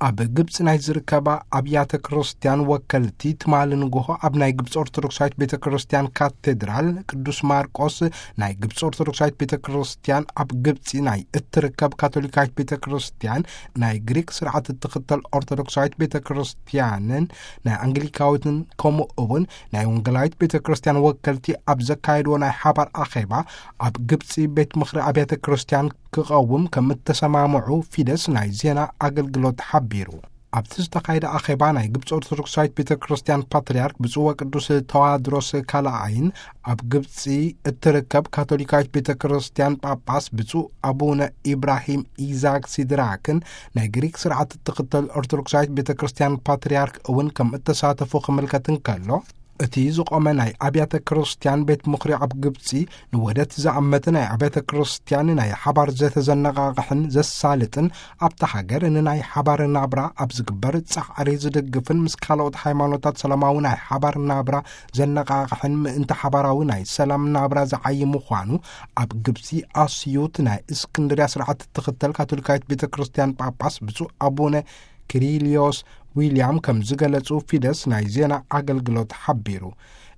ኣብ ግብፂ ናይ ዝርከባ ኣብያተ ክርስቲያን ወከልቲ ትማሊ ንግሆ ኣብ ናይ ግብፂ ኦርቶዶክሳዊት ቤተ ክርስቲያን ካቴድራል ቅዱስ ማርቆስ ናይ ግብፂ ኦርቶዶክሳዊት ቤተ ክርስቲያን ኣብ ግብፂ ናይ እትርከብ ካቶሊካዊት ቤተ ክርስቲያን፣ ናይ ግሪክ ስርዓት እትኽተል ኦርቶዶክሳዊት ቤተ ክርስቲያንን ናይ ኣንግሊካዊትን ከምኡ እውን ናይ ወንጌላዊት ቤተ ክርስቲያን ወከልቲ ኣብ ዘካየድዎ ናይ ሓባር ኣኼባ ኣብ ግብፂ ቤት ምኽሪ ኣብያተ ክርስቲያን ክቐውም ከም እተሰማምዑ ፊደስ ናይ ዜና ኣገልግሎት ሓቢሩ። ኣብቲ ዝተኻየደ ኣኼባ ናይ ግብፂ ኦርቶዶክሳዊት ቤተ ክርስቲያን ፓትርያርክ ብፁዕ ወቅዱስ ተዋድሮስ ካልኣይን ኣብ ግብፂ እትርከብ ካቶሊካዊት ቤተ ክርስቲያን ጳጳስ ብፁዕ ኣቡነ ኢብራሂም ኢዛክ ሲድራክን ናይ ግሪክ ስርዓት እትኽተል ኦርቶዶክሳዊት ቤተ ክርስቲያን ፓትርያርክ እውን ከም እተሳተፉ ክምልከት እንከሎ፣ እቲ ዝቖመ ናይ ኣብያተ ክርስቲያን ቤት ምኽሪ ኣብ ግብፂ ንውህደት ዝኣመተ ናይ ኣብያተ ክርስቲያን ናይ ሓባር ዘተ ዘነቓቕሕን ዘሳልጥን፣ ኣብታ ሃገር ንናይ ሓባር ናብራ ኣብ ዝግበር ጻዕሪ ዝድግፍን ምስ ካልኦት ሃይማኖታት ሰላማዊ ናይ ሓባር ናብራ ዘነቓቕሕን ምእንቲ ሓባራዊ ናይ ሰላም ናብራ ዝዓዪ ምዃኑ ኣብ ግብፂ ኣስዩት ናይ እስክንድርያ ስርዓት እትኽተል ካቶሊካዊት ቤተ ክርስቲያን ጳጳስ ብፁዕ ኣቡነ ኪሪሊዮስ ዊልያም ከም ዝገለጹ ፊደስ ናይ ዜና ኣገልግሎት ሓቢሩ።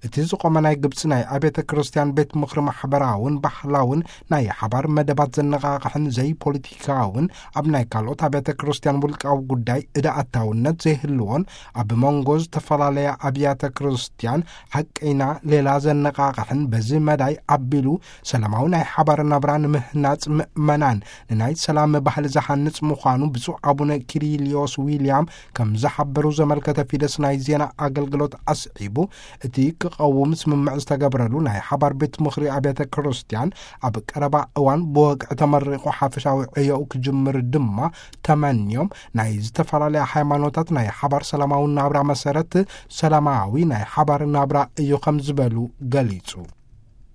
እቲ ዝቖመ ናይ ግብፂ ናይ ኣብያተ ክርስቲያን ቤት ምኽሪ ማሕበራውን ባህላውን ናይ ሓባር መደባት ዘነቓቕሕን ዘይፖለቲካውን ኣብ ናይ ካልኦት ኣብያተ ክርስቲያን ውልቃዊ ጉዳይ እዳ ኣታውነት ዘይህልዎን ኣብ መንጎ ዝተፈላለያ ኣብያተ ክርስቲያን ሓቀይና ሌላ ዘነቓቕሕን በዚ መዳይ ኣቢሉ ሰላማዊ ናይ ሓባር ናብራ ንምህናጽ ምእመናን ንናይ ሰላም ባህሊ ዝሃንጽ ምዃኑ ብፁዕ ኣቡነ ኪሪሊዮስ ዊልያም ከም ዝሓበሩ ዘመልከተ ፊደስ ናይ ዜና ኣገልግሎት ኣስዒቡ፣ እቲ ክቐውም ስምምዕ ዝተገብረሉ ናይ ሓባር ቤት ምኽሪ ኣብያተ ክርስቲያን ኣብ ቀረባ እዋን ብወግዒ ተመሪቑ ሓፈሻዊ ዕዮኡ ክጅምር ድማ ተመንዮም፣ ናይ ዝተፈላለያ ሃይማኖታት ናይ ሓባር ሰላማዊ ናብራ መሰረት ሰላማዊ ናይ ሓባር ናብራ እዩ ከም ዝበሉ ገሊጹ።